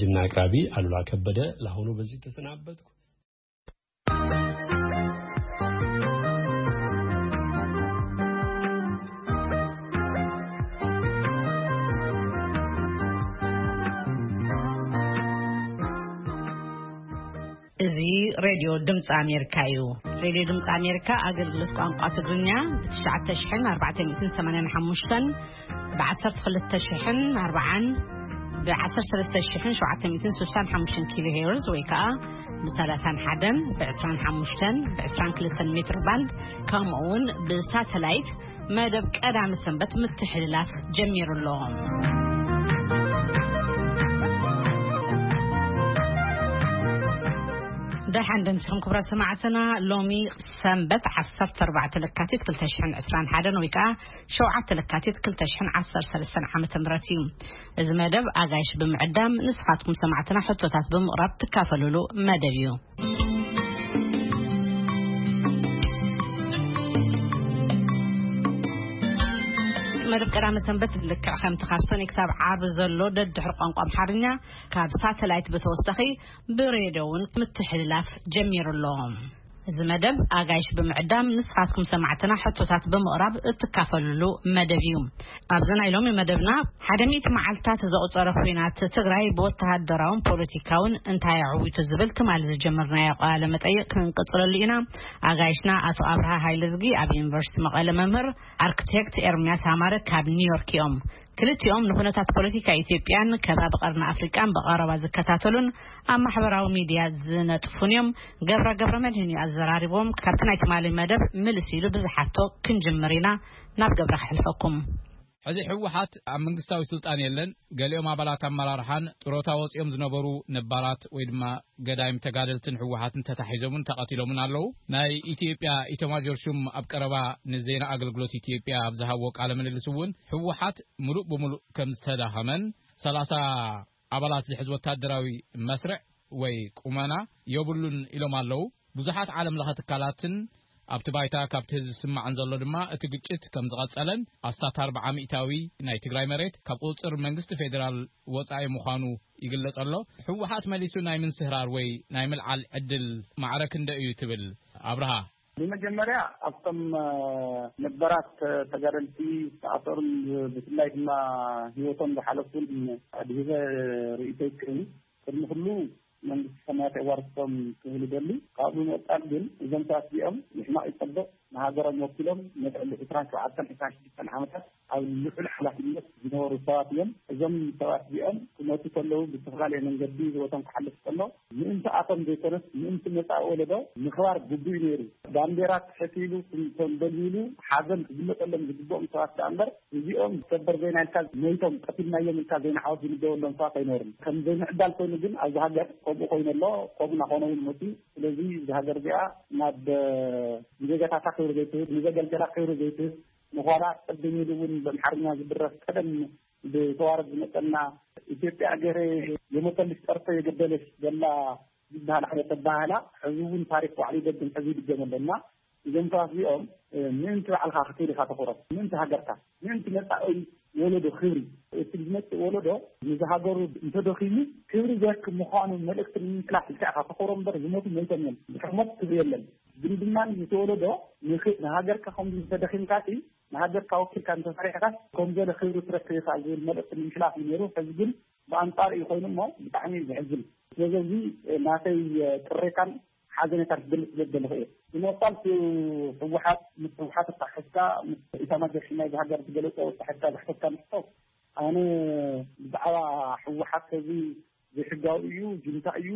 ዝና ኣቅራቢ ኣሉላ ከበደ። ለአሁኑ በዚህ ተሰናበትኩ። እዚ ሬድዮ ድምፂ ኣሜሪካ እዩ። ሬድዮ ድምፂ ኣሜሪካ ኣገልግሎት ቋንቋ ትግርኛ ብ ትሽዓተ ሽሕን ኣርባዕተ ሚእትን ሰማንያን ሓሙሽተን፣ ብ ዓሰርተ ክልተ ሽሕን ኣርባዓን፣ ብ ዓሰርተ ሰለስተ ሽሕን ሸውዓተ ሚእትን ስሳን ሓሙሽተን ኪሎ ሄርዝ ወይ ከዓ ብ ሰላሳን ሓደን፣ ብ ዕስራን ሓሙሽተን፣ ብ ዕስራን ክልተን ሜትር ባንድ፣ ከምኡ እውን ብሳተላይት መደብ ቀዳሚ ሰንበት ምትሕልላፍ ጀሚሩ ኣሎ። ደሓን ደምሲኹም ክቡራት ሰማዕትና፣ ሎሚ ሰንበት ዓሰርተ ኣርባዕተ ለካቲት ክልተ ሽሕን ዕስራን ሓደን ወይ ከዓ ሸውዓተ ለካቲት ክልተ ሽሕን ዓሰርተ ሰለስተን ዓመተ ምህረት እዩ። እዚ መደብ ኣጋይሽ ብምዕዳም ንስኻትኩም ሰማዕትና ሕቶታት ብምቕራብ ትካፈሉሉ መደብ እዩ። መደብ ቀዳመ ሰንበት ልክዕ ከምቲ ካብ ሰኒ ክሳብ ዓርቢ ዘሎ ደድሕሪ ቋንቋ ኣምሓርኛ ካብ ሳተላይት ብተወሳኺ ብሬድዮ እውን ምትሕልላፍ ጀሚሩ ኣሎ። እዚ መደብ ኣጋይሽ ብምዕዳም ንስኻትኩም ሰማዕትና ሕቶታት ብምቕራብ እትካፈሉሉ መደብ እዩ። ኣብዚ ናይ ሎሚ መደብና ሓደ ሚእቲ መዓልታት ዘቑጸረ ኲናት ትግራይ ብወተሃደራውን ፖለቲካውን እንታይ ኣዕዊቱ ዝብል ትማሊ ዝጀመርናዮ ቃለ መጠይቕ ክንቅጽለሉ ኢና። ኣጋይሽና ኣቶ ኣብርሃ ሃይለዝጊ ኣብ ዩኒቨርሲቲ መቐለ መምህር፣ ኣርክቴክት ኤርምያስ ኣማረ ካብ ኒውዮርክ እዮም። ክልቲኦም ንኩነታት ፖለቲካ ኢትዮጵያን ከባቢ ቀርኒ ኣፍሪቃን ብቐረባ ዝከታተሉን ኣብ ማሕበራዊ ሚድያ ዝነጥፉን እዮም። ገብረ ገብረ መድህን እዩ ኣዘራሪቦም። ካብቲ ናይ ትማሊ መደብ ምልስ ኢሉ ብዝሓቶ ክንጅምር ኢና። ናብ ገብረ ክሕልፈኩም። ሕዚ ህወሓት ኣብ መንግስታዊ ስልጣን የለን። ገሊኦም ኣባላት ኣመራርሓን ጥሮታ ወፂኦም ዝነበሩ ነባራት ወይ ድማ ገዳይም ተጋደልትን ህወሓትን ተታሒዞምን ተቐቲሎምን ኣለዉ። ናይ ኢትዮጵያ ኢተማዦር ሹም ኣብ ቀረባ ንዜና ኣገልግሎት ኢትዮጵያ ኣብ ዝሃብዎ ቃለ ምልልስ እውን ህወሓት ምሉእ ብምሉእ ከም ዝተዳኸመን ሰላሳ ኣባላት ዝሕዝ ወታደራዊ መስርዕ ወይ ቁመና የብሉን ኢሎም ኣለዉ። ብዙሓት ዓለም ለኸ ትካላትን ኣብቲ ባይታ ካብቲ ህዝቢ ዝስማዕን ዘሎ ድማ እቲ ግጭት ከም ዝቐጸለን ኣስታት ኣርብዓ ሚእታዊ ናይ ትግራይ መሬት ካብ ቁጽጽር መንግስቲ ፌዴራል ወጻኢ ምዃኑ ይግለጽ ኣሎ። ህወሓት መሊሱ ናይ ምንስህራር ወይ ናይ ምልዓል ዕድል ማዕረ ክንደይ እዩ ትብል ኣብርሃ? ብመጀመርያ ኣብቶም እ፣ ነበራት እ፣ ተጋደልቲ ዝተኣሰሩን ብ- ብፍላይ ድማ ህይወቶም ዝሓለፉን ኣድሂበ ርእይቶ ይክእል። ቅድሚ ኩሉ መንግስቲ ሰማያት የዋርስቶም ክብል ይደሊ። ካብኡ ብምቕጻል ግን እዞም ሰባት እዚኦም ንሕማቕ ይጸብቕ ንሃገሮም ወኪሎም ነቲ ዕሊ ዕስራን ሸውዓተን ዕስራን ሽዱሽተን ዓመታት ኣብ ልዑል ሓላፍነት ዝነበሩ ሰባት እዮም። እዞም ሰባት እዚኦም ክመቱ ከለዉ ብዝተፈላለየ መንገዲ ህይወቶም ክሓልፍ ከሎ ምእንቲ ኣቶም ዘይኮነስ ምእንቲ መጻኢ ወለዶ ምኽባር ግቡእ እዩ ነይሩ። ባንዴራ ትሕት ኢሉ ከም ከም ደልዩ ኢሉ ሓዘን ክግለጸሎም ዝግብኦም ሰባት ደኣ እምበር እዚኦም ሰበር ዜና ኢልካ ሞይቶም ቀቲልናዮም ኢልካ ዜና ዓወት ዝምደበሎም ሰባት ኣይነበሩን። ከም ዘይምዕዳል ኮይኑ ግን ኣብዚ ሃገር ከምኡ ኮይኑ ኣሎ። ከምኡ እናኾነ እውን መፅዩ። ስለዚ እዚ ሃገር እዚኣ ናብ እ፣ ንዜጋታታ ክብሪ ዘይትህብ፣ ንዘገልገላ ክብሪ ዘይትህብ ምዃና ቅድም ኢሉ እውን ብኣምሓርኛ ዝድረፍ ቀደም ብተዋረድ ዝመፀና ኢትዮጵያ ገሬ የሞተልሽ ጠርቶ የገደለሽ ዘላ ዝበሃል ዓይነት ኣበሃህላ ሕዚ እውን ታሪክ ባዕሉ ይደግም፣ ሕዚ ይድገም ኣሎ። እና እዞም ሰባት እዚኦም እ፣ ምእንቲ ባዕልኻ ክትብል ኢኻ ተኽብሮም፣ ምእንቲ ሃገርካ፣ ምእንቲ መጻኢ ወለዶ ክብሪ፣ እቲ ዝመጽእ ወለዶ ንዝሃገሩ እንተደኺሙ ክብሪ ዘርክብ ምዃኑ መልእክቲ ንምምሕላፍ ኢልካ ኢኻ ተኽብሮም እምበር ዝሞቱ ሞይቶም እዮም። ድሕሪ ሞት ክብሪ የለን። ግን ድማ እቲ ወለዶ ንኽ- ንሃገርካ ከምዚ እንተደኺምካ ሲ ንሃገርካ ወኪልካ እንተሰሪሕካስ ከም ገለ ክብሪ ትረክብ ኢኻ ዝብል መልእክቲ ንምሕላፍ እዩ ነይሩ። ሕዚ ግን ብኣንጻሩ እዩ ኮይኑ እሞ ብጣዕሚ እዩ ዘሕዝን። ስለዚ እዚ ናተይ ቅሬታን ሓዘኔታን ክገልጽ ዘደለኹ እየ። ብምቕጻል ህወሓት ምስ ህወሓት ኣተሓሒዝካ ምስ ኢታማጆር ሹም ናይዚ ሃገር ዝገለጾ ኣተሓሒዝካ ዝሓተትካኒ ሕቶ ኣነ ብዛዕባ ህወሓት እዚ ዘይሕጋዊ እዩ፣ ጁንታ እዩ፣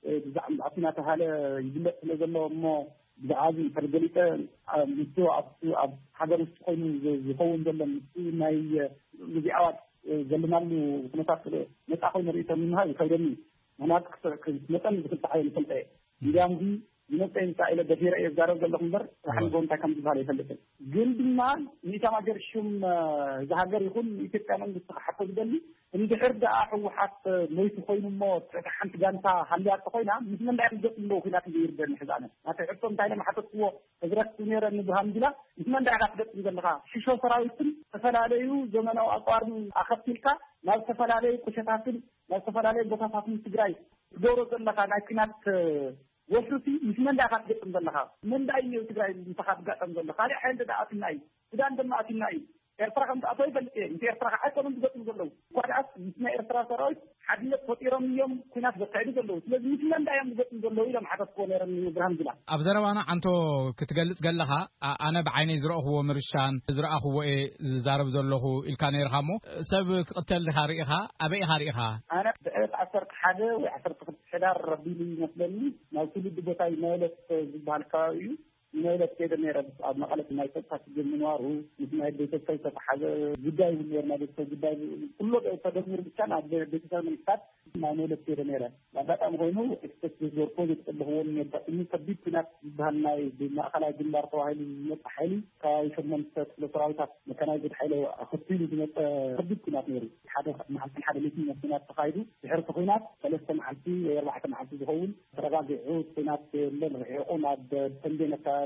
እ፣ ብዛዕባ ምዕራፍ እናተባሃለ ይግለጽ ስለ ዘሎ እሞ ብዛዕባ እዚ እንተገሊጸ፣ እ፣ ምስቲ ኣብቲ ኣብ ሃገር ውሽጢ ኮይኑ ዝ-፣ ዝኸውን ዘሎ ምስቲ ናይ፣ እ፣ ግዜኣዊ፣ እ፣ ዘለናሉ ኩነታት ነጻ ኮይኑ ርእይቶ ንምሃብ ይኸብደኒ። ምኽንያቱ ክስ-፣ ክስ-፣ መጠን ብክልተ ሓይሊ ይፈልጠ እየ። እንዲያም ግን ይመፀ ይምፃእ ኢለ ደፊረ እየ ዝዛረብ ዘለኹ እምበር፣ ሓንጎ እንታይ ከም ዝበሃል ኣይፈልጥን። ግን ድማ ንኢታማጆር ሹም እዚ ሃገር ይኹን ንኢትዮጵያ መንግስቲ ክሓቶ ዝደሊ፣ እንድሕር ደኣ ህወሓት መይቱ ኮይኑ እሞ ትሕቲ ሓንቲ ጋንታ ሃልያ እንተኾይና፣ ምስ መን ደኣ እዮም ዝገጥሙ ኣለዉ? ኩናት እዩ ይርደኒ ሕዛነ ናተይ ሕቶ እንታይ ኢለ ምሓተትክዎ? ህዝረት ነረ ንብርሃን ጅላ ምስ መን ደኣ ኢኻ ትገጥም ዘለኻ? ሽሾ ሰራዊትን ዝተፈላለዩ ዘመናዊ ኣፅዋርን ኣኸቲልካ ናብ ዝተፈላለዩ ቁሸታትን ናብ ዝተፈላለዩ ቦታታትን ትግራይ ትገብሮ ዘለኻ ናይ ኩናት ወፍርቲ ምስ መን ደኣ ኢኻ ትገጥም ዘለኻ? መን ደኣ እዩ ትግራይ ምሳኻ ትጋጠም ዘሎ? ካልእ ሓይሊ ደኣ ኣትና እዩ። ሱዳን ድማ ኣትና እዩ። ኤርትራ ከም ትኣቶ ይፈልጥ እየ። ምስ ኤርትራ ከዓ ኣይኮኑን ዝገጥሙ ዘለዉ። እኳ ደኣስ ምስ ናይ ኤርትራ ሰራዊት ሓድነት ፈጢሮም እዮም ኩናት ዘካይዱ ዘለዉ። ስለዚ ምስ መን ደኣ እዮም ዝገጥሙ ዘለዉ ኢሎም ሓተትክዎ ነይሮም ንብርሃን ጅላ። ኣብ ዘረባና ዓንቶ ክትገልጽ ገለኻ፣ ኣ-፣ ኣነ ብዓይነይ ዝረእኽዎ ምርሻን ዝረኣኽዎ እየ ዝዛረብ ዘለኹ ኢልካ ነይርኻ እሞ፣ ሰብ ክቕተል ዲኻ ርኢኻ? ኣበይ ኢኻ ርኢኻ? ኣነ ብዕለት ዓሰርተ ሓደ ወይ ዓሰርተ ክልተ ሕዳር ረቢሉ ይመስለኒ ናብ ትውልዲ ቦታይ መለት ዝበሃል ከባቢ እዩ። ንመለት ከይደ ነይረ ኣብ መቐለት ናይ ፀጥታ ሽግር ምንባሩ ምስ ናይ ቤተሰብ ዝተተሓዘ ጉዳይ እውን ነይሩ። ናይ ቤተሰብ ጉዳይ ኩሎ ተደሚሩ ብቻ ናብ ቤተሰብ መንግስታት ናይ መለት ከይደ ነይረ። ኣጋጣሚ ኮይኑ ኤክስፕረስ ዘዝወርኮ ዘተጠለኽዎ ነጋጥሙ ከቢድ ኩናት ዝበሃል ናይ ማእኸላይ ግንባር ተባሂሉ ዝመፅእ ሓይሊ ከባቢ ሸሞንተ ክፍለ ሰራዊታት መካናይዝድ ሓይሊ ኣኸቲሉ ዝመፀ ከቢድ ኩናት ነይሩ። ሓደ መዓልትን ሓደ ሌትን ኩናት ተኻይዱ። ድሕሪ እቲ ኩናት ሰለስተ መዓልቲ ወይ ኣርባዕተ መዓልቲ ዝኸውን ተረጋጊዑ ኩናት የለን። ርሒቑ ናብ ተንቤን ኣካባቢ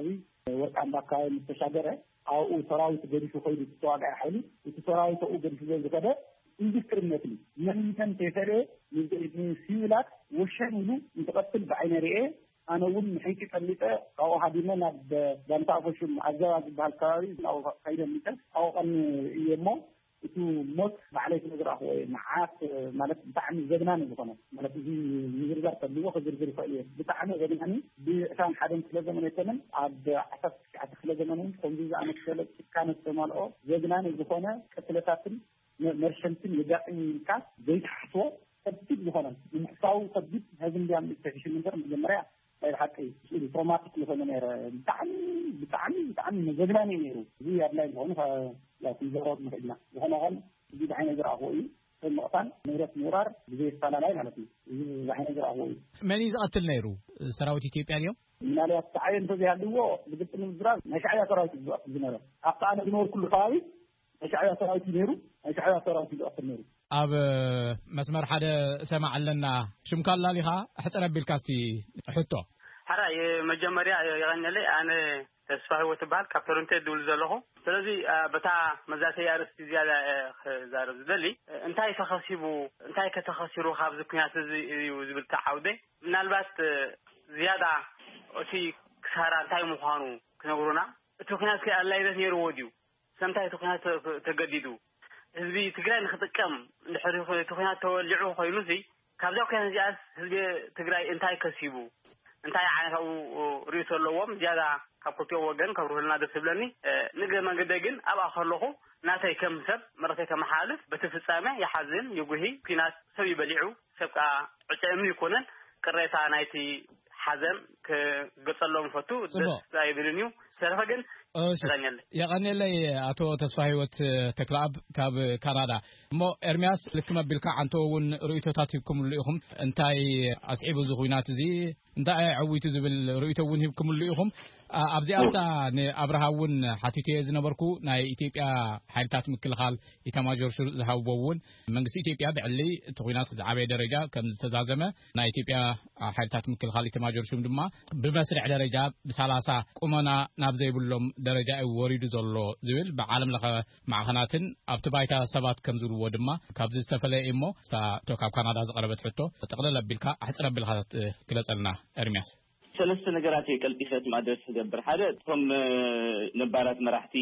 ወርቃምባ ኣካባቢ ምስ ተሻገረ ኣብኡ ሰራዊት ገዲፉ ከይዱ እቲ ተዋጋኢ ሓይሊ። እቲ ሰራዊት ኣብኡ ገዲፉ ዝኸደ ኢንዱስትሪ ነትሊ መኒተን ተይፈለየ ንሲቪላት ወሸን ኢሉ እንትቐትል ብዓይነ ርኤ። ኣነ እውን ንሕንቂ ቀሊጠ ካብኡ ሃዲመ ናብ ጋንታ ኣፈሹም ኣዘባ ዝበሃል ከባቢ ናብኡ ከይደ ኣምሊጠ ኣብኡ ቀኒ እየ እሞ እቲ ሞት ባዕለይ ስለ ዝረኣኽዎ እየ። መዓት ማለት ብጣዕሚ ዘግናኒ ዝኾነ ማለት እዚ ምዝርዛር ከብዎ ክዝርዝር ይኽእል እየ። ብጣዕሚ ዘግናኒ ብዕስራን ሓደን ክፍለ ዘመን ኣይኮነን ኣብ ዓሰርተ ትሽዓተ ክፍለ ዘመን እውን ከምዚ ዝኣመሰለ ጭካነ ዝተመልኦ ዘግናኒ ዝኾነ ቅትለታትን መ- መርሸንትን የጋጥም ኢልካ ዘይትሓስቦ ከቢድ ዝኾነ ንምሕሳቡ ከቢድ ሕዚ እንዲያም ተፊሽም እንበር መጀመርያ ናይ ብሓቂ ስእሊ ትሮማቲክ ዝኾነ ነይረ። ብጣዕሚ ብጣዕሚ ብጣዕሚ መዘግናኒ እዩ ነይሩ። እዚ ኣድላይ ዝኾኑ ከ- ያው ክንዘረብ ንኽእል ኢና። ዝኾነ ኸን እዚ ብዓይነ ዝረኣኽዎ እዩ። ሰብ ምቕታል ንብረት ምውራር ብዘይ ኣፈላላይ ማለት እዩ። እዚ ብዓይነ ዝረኣኽዎ እዩ። መን እዩ ዝቐትል ነይሩ? ሰራዊት ኢትዮጵያ ድዮም? ምናልባት ሻዕብያ እንተዘይሃልዎ ብግልፂ ንምዝራብ ናይ ሻዕብያ ሰራዊት እዩ ዝቐትል ዝነበረ። ኣብቲ ኣነ ዝነበርኩሉ ከባቢ ናይ ሻዕብያ ሰራዊት እዩ ነይሩ። ናይ ሻዕብያ ሰራዊት እዩ ዝቐትል ነይሩ። ኣብ መስመር ሓደ ሰማዕ ኣለና። ሽምካ ኣላሊኻ ሕፅር ኣቢልካ እስቲ ሕቶ። ሕራይ መጀመርያ የቐንየለይ። ኣነ ተስፋ ህይወት እበሃል፣ ካብ ቶሮንቶ እየ ዝድውል ዘለኹ። ስለዚ በታ መዛተይ ኣርእስቲ ዝያዳ ክዛረብ ዝደሊ እንታይ ተኸሲቡ እንታይ ከተኸሲሩ ካብዚ ኩናት እዚ እዩ ዝብል ተዓውደ። ምናልባት ዝያዳ እቲ ክሳራ እንታይ ምዃኑ ክነግሩና። እቲ ኩናት ከ ኣድላይነት ነይርዎ ድዩ? ስለምንታይ እቲ ኩናት ተገዲዱ? ህዝቢ ትግራይ ንክጥቀም እንድሕር እቲ ኩናት ተወሊዑ ኮይኑ ሲ ካብዛ ኩናት እዚኣስ ህዝቢ ትግራይ እንታይ ከሲቡ? እንታይ ዓይነት ኣብኡ ርእይቶ ኣለዎም? ዝያዳ ካብ ክልቲኦም ወገን ከብርሁልና ደስ ዝብለኒ። ንግረ መንገደይ ግን ኣብኣ ከለኹ ናተይ ከም ሰብ መልእኽተይ ከመሓላልፍ በቲ ፍጻሜ ይሓዝን ይጉሂ። ኩናት ሰብ ይበሊዑ ሰብ ከዓ ዕጨ እምኒ ይኮነን። ቅሬታ ናይቲ ሓዘን ክገጸሎም ፈቱ ደስ ኣይብልን እዩ። ዝተረፈ ግን የቐንየለይ። ኣቶ ተስፋ ህይወት ተክለኣብ ካብ ካናዳ። እሞ ኤርሚያስ ልክም ኣቢልካ ዓንቶ እውን ርእይቶታት ሂብኩምሉ ኢኹም። እንታይ ኣስዒቡ እዚ ኩናት እዚ እንታይ ኣዕዊቱ ዝብል ርእይቶ እውን ሂብኩምሉ ኢኹም። ኣብዚኣ ኣብታ ንኣብርሃ እውን ሓቲትዮ ዝነበርኩ ናይ ኢትዮጵያ ሓይልታት ምክልኻል ኢታማጆር ሹም ዝሃብዎ እውን መንግስቲ ኢትዮጵያ ብዕሊ እቲ ኩናት ዝዓበየ ደረጃ ከም ዝተዛዘመ ናይ ኢትዮጵያ ሓይልታት ምክልኻል ኢታማጆር ሹም ድማ ብመስርዕ ደረጃ ብሳላሳ ቁመና ናብ ዘይብሎም ደረጃ እዩ ወሪዱ ዘሎ ዝብል ብዓለም ለኸ ማዕኸናትን ኣብቲ ባይታ ሰባት ከም ዝብልዎ ድማ ካብዚ ዝተፈለየ እሞ ሳቶ ካብ ካናዳ ዝቐረበት ሕቶ ጠቕለል ኣቢልካ ኣሕፅር ኣቢልካ ግለፀልና ኤርሚያስ። ሰለስተ ነገራት እየ ቀልጢፈ እቲ ማድረስ ክገብር። ሓደ እቶም ነባራት መራሕቲ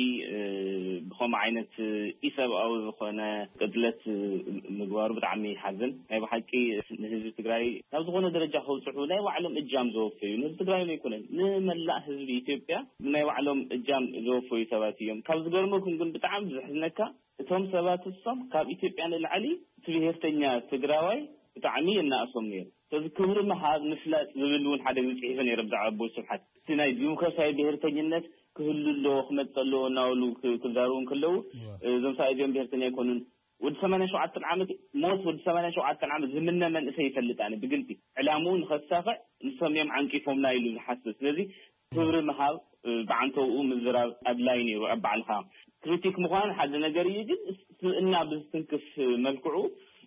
ብኸምኡ ዓይነት ኢሰብኣዊ ዝኾነ ቅትለት ምግባሩ ብጣዕሚ ይሓዝን። ናይ ብሓቂ ንህዝቢ ትግራይ ናብ ዝኾነ ደረጃ ከብፅሑ ናይ ባዕሎም እጃም ዘወፈዩ ንህዝቢ ትግራይ ኣይኮነን ንመላእ ህዝቢ ኢትዮጵያ ናይ ባዕሎም እጃም ዘወፈዩ ሰባት እዮም። ካብ ዝገርመኩም ግን ብጣዕሚ ዘሕዝነካ እቶም ሰባት እሶም ካብ ኢትዮጵያ ንላዕሊ እቲ ብሄርተኛ ትግራዋይ ብጣዕሚ የናእሶም ነይሩ። ስለዚ ክብሪ ምሃብ ምፍላጥ ዝብል እውን ሓደ ግዜ ፅሒፈ ነይረ ብዛዕባ ኣቦይ ስብሓት። እቲ ናይ ዲሞክራሲያዊ ብሄርተኝነት ክህሉ ኣለዎ ክመፅእ ኣለዎ እናበሉ ክዛረቡ እንከለዉ እዞም ሰብኣይ እዚኦም ብሄርተኛ ኣይኮኑን ወዲ ሰማንያ ሸውዓተ ዓመት ሞት ወዲ ሰማንያ ሸውዓተ ዓመት ዝምነ መንእሰይ ይፈልጥ ኣነ ብግልፂ ዕላምኡ ንኸሳኽዕ ንሶም እዮም ዓንቂፎምና ኢሉ ዝሓስብ። ስለዚ ክብሪ ምሃብ ብዓንተውኡ ምዝራብ ኣድላይ ነይሩ። ኣብ ባዕልኻ ክሪቲክ ምዃን ሓደ ነገር እዩ፣ ግን ስብእና ብዝትንክፍ መልክዑ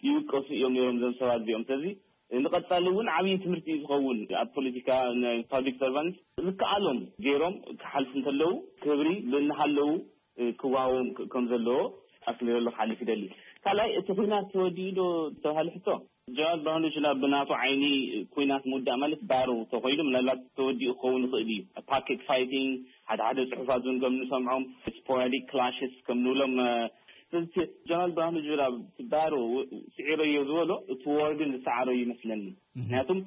ይውቀሱ እዮም ነይሮም እዞም ሰባት እዚኦም። ስለዚ ንቐጻሊ እውን ዓብዪ ትምህርቲ እዩ ዝኸውን። ኣብ ፖለቲካ ናይ ፓብሊክ ሰርቫንት ዝከኣሎም ገይሮም ክሓልፉ እንተለዉ ክብሪ እናሃለዉ ክወሃቦም ከም ዘለዎ ኣስሚረሉ ክሓልፍ ይደሊ። ካልኣይ እቲ ኩናት ተወዲኡ ዶ ተባሃለ ሕቶ፣ ጀነራል ብርሃኑ ጁላ ብናቱ ዓይኒ ኩናት ምውዳእ ማለት ባሮ ተኮይኑ ምናልባት ተወዲኡ ክኸውን ይኽእል እዩ። ፓኬት ፋይቲንግ፣ ሓደ ሓደ ፅሑፋት እውን ከም ንሰምዖም ስፖራዲክ ክላሽስ ከም ንብሎም። ስለዚ ጀነራል ብርሃኑ ጁላ ባሮ ስዒረዮ ዝበሎ እቲ ዋር ግን ዝሰዓሮ ይመስለኒ። ምክንያቱም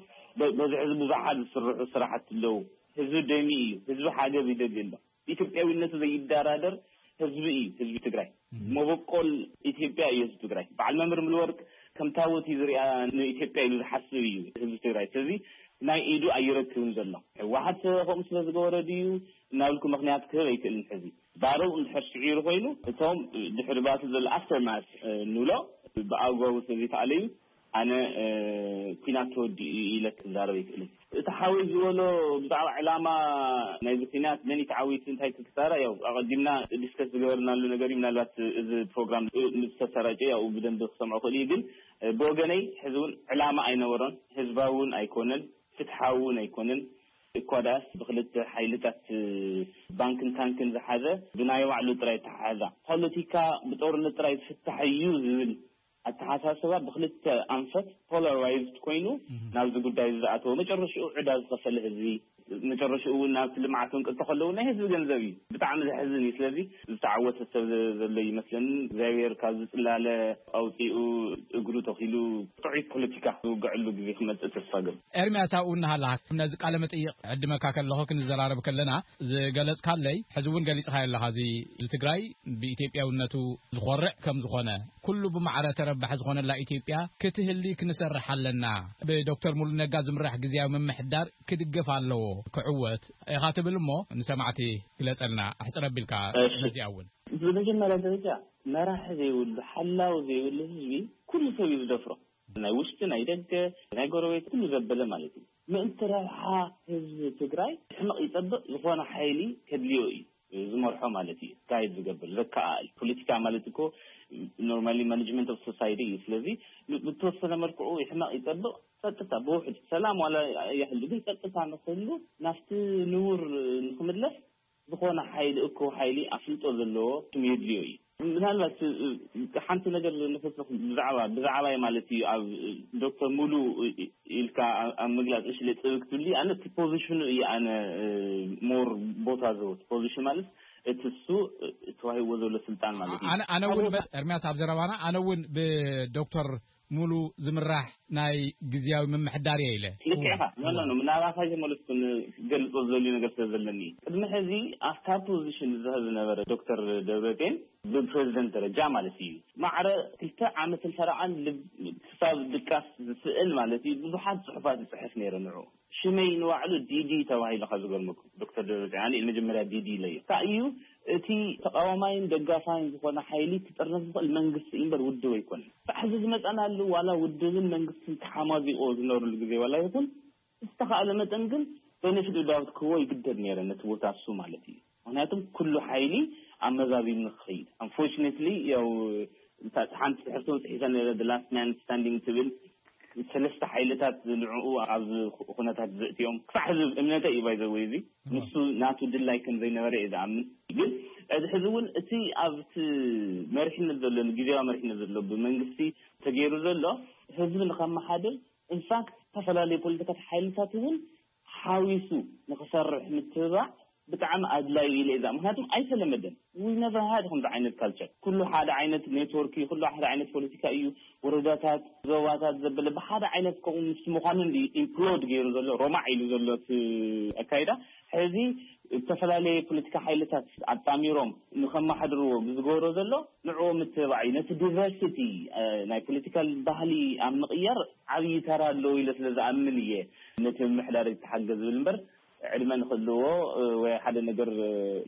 በዚ ሕዚ ብዙሓት ዝስርሑ ስራሕቲ ኣለዉ። ህዝቢ ደሚ እዩ። ህዝቢ ሓገዝ ይደሊ ኣሎ። ኢትዮጵያዊነቱ ዘይደራደር ህዝቢ እዩ። ህዝቢ ትግራይ መበቆል ኢትዮጵያ እዩ። ህዝቢ ትግራይ በዓል መምህር ምልወርቅ ከም ታቦት እዩ ዝሪኣ ንኢትዮጵያ ኢሉ ዝሓስብ እዩ ህዝቢ ትግራይ። ስለዚ ናይ ኢዱ ኣይረክብን ዘሎ። ህወሓት ከምኡ ስለ ዝገበረ ድዩ እናብልኩ ምክንያት ክህብ ኣይክእልን። ሕዚ ባረው እንድሕር ስዒሩ ኮይኑ እቶም ድሕሪ ባቲ ዘሎ ኣፍተርማስ ንብሎ ብኣግባቡ ስለዘይተኣለዩ ኣነ ኩናት ተወዲኡ ኢለ ክዛረብ ኣይክእልን። እቲ ሓወይ ዝበሎ ብዛዕባ ዕላማ ናይዚ ኩናት መን እዩ ተዓዊቱ እንታይ ክክሳራ ያው ኣቐዲምና ዲስከስ ዝገበርናሉ ነገር እዩ። ምናልባት እዚ ፕሮግራም ምስ ተሰራጨ ያው ብደንብ ክሰምዖ ክእል እዩ። ግን ብወገነይ ሕዚ እውን ዕላማ ኣይነበሮን፣ ህዝባዊ እውን ኣይኮነን፣ ፍትሓዊ እውን ኣይኮነን። እኳ ዳስ ብክልተ ሓይልታት ባንክን ታንክን ዝሓዘ ብናይ ባዕሉ ጥራይ ተሓዛ ፖለቲካ ብጦርነት ጥራይ ዝፍታሕ እዩ ዝብል ኣተሓሳስባ ብክልተ ኣንፈት ፖላራይዝድ ኮይኑ ናብዚ ጉዳይ ዝኣተወ መጨረሽኡ ዕዳ ዝኸፈለ ህዝቢ መጨረሽኡ እውን ናብቲ ልምዓት ክንቅልቶ ከለዉ ናይ ህዝቢ ገንዘብ እዩ። ብጣዕሚ ዘሕዝን እዩ። ስለዚ ዝተዓወተ ሰብ ዘሎ ይመስለኒ። እግዚኣብሔር ካብዚ ጽላለ ኣውፂኡ እግሩ ተኺሉ ጥዑይ ፖለቲካ ዝውግዐሉ ግዜ ክመፅእ ተስፋ ገብ ኤርምያስ ኣብኡ እናሃለኻ ነዚ ቃለ መጠይቕ ዕድመካ ከለኹ ክንዘራረብ ከለና ዝገለጽካለይ ሕዚ እውን ገሊጽካዮ ኣለኻ። እዚ ትግራይ ብኢትዮጵያውነቱ ዝኾርዕ ከም ዝኾነ ኩሉ ብማዕረ ተረባሒ ዝኾነላ ኢትዮጵያ ክትህሊ ክንሰርሕ ኣለና። ብዶክተር ሙሉ ነጋ ዝምራሕ ግዜያዊ ምምሕዳር ክድገፍ ኣለዎ፣ ክዕወት ኢኻ ትብል እሞ ንሰማዕቲ ግለጸልና፣ ኣሕጽር ኣቢልካ። እሺ። ነዚኣ እውን። ብመጀመርያ ደረጃ መራሒ ዘይብሉ፣ ሓላው ዘይብሉ ህዝቢ ኩሉ ሰብ እዩ ዝደፍሮ። ናይ ውሽጢ፣ ናይ ደገ፣ ናይ ጎረቤት ኩሉ ዘበለ ማለት እዩ። ምእንቲ ረብሓ ህዝቢ ትግራይ ሕመቕ ይጸብቕ ዝኾነ ሓይሊ ከድልዮ እዩ። ዝመርሖ ማለት እዩ። ጋይድ ዝገብር ዘከኣል ፖለቲካ ማለት እኮ ኖርማሊ ማኔጅመንት ኦፍ ሶሳይቲ እዩ። ስለዚ ብ- ብተወሰነ መልክዑ ይሕመቕ ይጸብቕ ጸጥታ ብውሕድ ሰላም ዋላ ይሕሉ ግን ጸጥታ ንክህሉ ናብቲ ንቡር ንክምለስ ዝኾነ ሓይሊ እኮ ሓይሊ ኣፍልጦ ዘለዎ ስም የድልዮ እዩ። ምናልባት እ- እ- ሓንቲ ነገር ንክስኽ ብዛዕባ ብዛዕባይ ማለት እዩ ኣብ ዶክተር ሙሉ ኢልካ ኣብ ምግላፅ እሽለ ፅብቅ ትብሊ ኣነ እቲ ፖዚሽኑ እዩ ኣነ ሞር ቦታ ዝህቦ እቲ ፖዚሽን ማለት እቲ እሱ ተዋሂብዎ ዘሎ ስልጣን ማለት እዩ። ኣነ ኣነ እውን በ- ኤርሚያስ ኣብ ዘረባና ኣነ እውን ብዶክተር ሙሉ ዝምራሕ ናይ ግዝያዊ ምምሕዳር እየ ኢለ። ልክዕኻ ኖ ኖ ኖ ምናባኻ የመለስኩ ገልፆ ዝደልዩ ነገር ስለ ዘለኒ እዩ። ቅድሚ ሕዚ ኣብታ ፖዚሽን ዝዝሀብ ዝነበረ ዶክተር ደብረፅዮን ብፕሬዚደንት ደረጃ ማለት እዩ ማዕረ ክልተ ዓመትን ፈረቓን ክሳብ ድቃስ ዝስእል ማለት እዩ ብዙሓት ፅሑፋት ይፅሕፍ ነይረ ንዑ ሽመይ ንባዕሉ ዲዲ ተባሂሉ ካብ ዝገርመኩም ዶክተር ደብረፅዮን ኣነ መጀመርያ ዲዲ ኢለዮ እንታይ እዩ እቲ ተቃዋማይን ደጋፋይን ዝኾነ ሓይሊ ክጥርነፍ ዝኽእል መንግስቲ እምበር ውድብ ኣይኮነን። ሳሕዚ ዝመፀናሉ ዋላ ውድብን መንግስትን ተሓማዚቆ ዝነብርሉ ግዜ ዋላ ይኹን ዝተኻእለ መጠን ግን በነፊት ዳውት ክህቦ ይግደድ ነይረ ነቲ ቦታ እሱ ማለት እዩ። ምክንያቱም ኩሉ ሓይሊ ኣመዛዚኑ ክኸይድ ኣንፎርችነትሊ ያው ሓንቲ ትሕዝቶ ፅሒፈ ነረ ላስት ማን ስታንዲንግ ትብል ሰለስተ ሓይልታት ንዕኡ ኣብዚ ኩነታት ዘእትዮም ክሳዕ ሕዚ እምነተ እዩ ባይዘወይ እዚ ንሱ ናቱ ድላይ ከም ዘይነበረ እዩ ዝኣምን። ግን እዚ ሕዚ እውን እቲ ኣብቲ መሪሕነት ዘሎ ግዜያዊ መሪሕነት ዘሎ ብመንግስቲ ተገይሩ ዘሎ ህዝቢ ንከመሓድር ኢንፋክት ዝተፈላለዩ ፖለቲካት ሓይልታት እውን ሓዊሱ ንክሰርሕ ምትብባዕ ብጣዕሚ ኣድላይ ኢለ እዛ ምክንያቱም ኣይተለመደን። We never had ከምዚ ዓይነት ካልቸር ኩሉ ሓደ ዓይነት ኔትወርክ እዩ ኩሉ ሓደ ዓይነት ፖለቲካ እዩ። ወረዳታት ዞባታት ዘበለ ብሓደ ዓይነት ከምኡ ምስ ምዃኑ እንዲ ኢምፕሎድ ገይሩ ዘሎ ሮማዕ ኢሉ ዘሎ እቲ ኣካይዳ ሕዚ ዝተፈላለየ ፖለቲካ ሓይልታት ኣጣሚሮም ንከመሓድርዎ ብዝገብሮ ዘሎ ንዕኡ ምትብባዕ እዩ። ነቲ ዲቨርሲቲ ናይ ፖለቲካል ባህሊ ኣብ ምቕያር ዓብዪ ተራ ኣለዎ ኢለ ስለ ዝኣምን እየ ነቲ ምምሕዳር ይተሓገዝ ዝብል እምበር ዕድመ ንክህልዎ ወይ ሓደ ነገር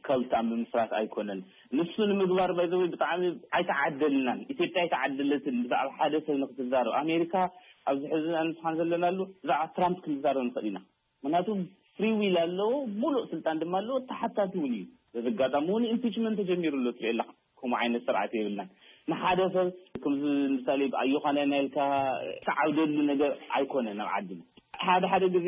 ከልት ኣብ ምምስራት ኣይኮነን። ንሱ ንምግባር ባይዘወይ ብጣዕሚ ኣይተዓደልናን። ኢትዮጵያ ኣይተዓደለትን። ብዛዕባ ሓደ ሰብ ንክትዛረብ ኣሜሪካ ኣብዚ ሕዚ ኣንስሓን ዘለናሉ ብዛዕባ ትራምፕ ክንዛረብ ንኽእል ኢና። ምክንያቱ ፍሪ ዊል ኣለዎ፣ ሙሉእ ስልጣን ድማ ኣለዎ። ተሓታቲ እውን እዩ። በዚ ኣጋጣሚ እውን ኢምፒችመንት ተጀሚሩ ኣሎ ትርኢ ኣለካ። ከምኡ ዓይነት ስርዓት የብልናን። ንሓደ ሰብ ከምዚ ምሳሌ ኣዮኻና ናይልካ ተዓብደሉ ነገር ኣይኮነን ኣብ ዓድና። ሓደ ሓደ ግዜ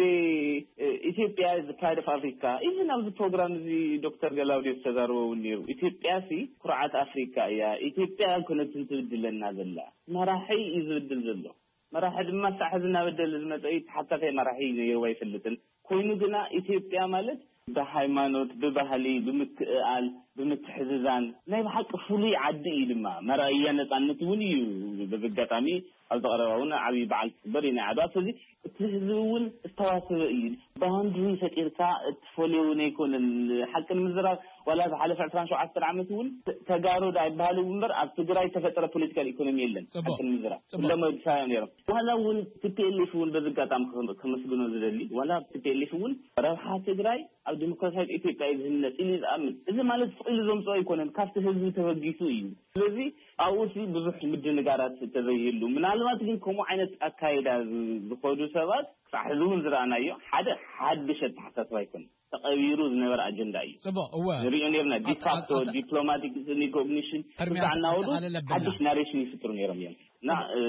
ኢትዮጵያ is the pride of Africa። ኢቨን ኣብዚ ፕሮግራም እዚ ዶክተር ገላውዴስ ተዛርቦ እውን ነይሩ። ኢትዮጵያ ሲ ኩርዓት ኣፍሪካ እያ። ኢትዮጵያ ኮነትን ትብድለና ዘላ። መራሒ እዩ ዝብድል ዘሎ። መራሒ ድማ ሳዕ ሕዚ እናበደለ ዝመፀ እዩ። ተሓታታይ መራሒ ነይርዎ ኣይፈልጥን። ኮይኑ ግና ኢትዮጵያ ማለት ብሃይማኖት፣ ብባህሊ፣ ብምክእኣል፣ ብምትሕዝዛን ናይ ብሓቂ ፍሉይ ዓዲ እዩ። ድማ መራእያ ነፃነት እውን እዩ። በዚ ኣጋጣሚ ኣብዚ ቀረባ እውን ዓብዪ በዓል ክግበር እዩ ናይ ዓድዋ። ስለዚ እቲ ህዝቢ እውን ዝተዋሰበ እዩ። ባውንድሪ ፈጢርካ እትፈልዮ እውን ኣይኮነን። ሓቂ ንምዝራብ ዋላ ዝሓለፈ ዕስራን ሸውዓተን ዓመት እውን ተጋሩ ዳ ይበሃሉ እምበር ኣብ ትግራይ ተፈጠረ ፖለቲካል ኢኮኖሚ የለን። ጽቡቕ። ሓቂ ንምዝራብ ጽቡቕ። ኩሎም ኣዲስ ኣበባ ነይሮም። ዋላ እውን ቲ ፒ ኤል ኤፍ እውን በዚ ኣጋጣሚ ከም- ከመስግኖ ዝደሊ ዋላ ቲ ፒ ኤል ኤፍ እውን ረብሓ ትግራይ ኣብ ዲሞክራሲያዊት ኢትዮጵያ እዩ ዝህነፅ ኢሉ እዩ ዝኣምን። እዚ ማለት ስቕ ኢሉ ዘምፅኦ ኣይኮነን፣ ካብቲ ህዝቢ ተበጊሱ እዩ። ስለዚ ኣብኡ ሲ ብዙሕ ምድንጋራት ተዘይህሉ፣ ምናልባት ግን ከምኡ ዓይነት ኣካይዳ ዝ- ዝኸዱ ሰባት ክሳዕ ሕዚ እውን ዝረኣናዮ ሓደ ሓድሽ ኣተሓሳስባ ኣይኮነን፣ ተቐቢሩ ዝነበረ ኣጀንዳ እዩ። ጽቡቕ እወ ንሪኦ ነርና ኣት- ዲፋክቶ ኣት- ዲፕሎማቲክ ሪኮግኒሽን ሕርምያ እዛ እናወዱ ኣጠቓልል ኣቢልና። ሓድሽ ናሬሽን ይፍጥሩ ነይሮም እዮም እና እ፣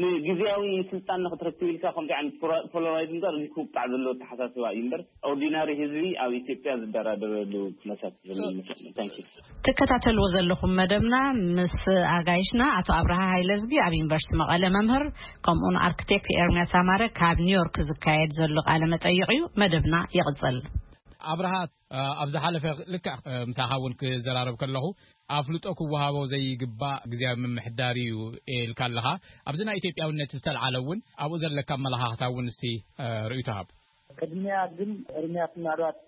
ንግዜያዊ ስልጣን ንክትረክብ ኢልካ ከምዚ ዓይነት ፖላ- ፖላራይዝ እምበር እዚ ክውቃዕ ዘለዎ ኣተሓሳስባ እዩ እምበር ኦርዲናሪ ህዝቢ ኣብ ኢትዮጵያ ዝደራደረሉ ኩነታት ዘሎ ይመስለኒ። ታንክ ዩ። ትከታተልዎ ዘለኹም መደብና ምስ ኣጋይሽና ኣቶ ኣብርሃ ሃይለዝጊ ኣብ ዩኒቨርሲቲ መቐለ መምህር ከምኡውን ኣርክቴክት ኤርምያስ ኣማረ ካብ ኒውዮርክ ዝካየድ ዘሎ ቃለ መጠይቕ እዩ። መደብና ይቕጽል። ኣብርሃ ኣብ ዝሓለፈ ልክዕ ምሳኻ እውን ክዘራረብ ከለኹ ኣፍልጦ ክወሃቦ ዘይግባእ ግዜያዊ ምምሕዳር እዩ ኢልካ ኣለኻ። ኣብዚ ናይ ኢትዮጵያውነት ዝተልዓለ እውን ኣብኡ ዘለካ ኣመለኻኽታ እውን እስቲ ርእይቶ ሃብ። ቅድሚያ ግን እርምያት ምናልባት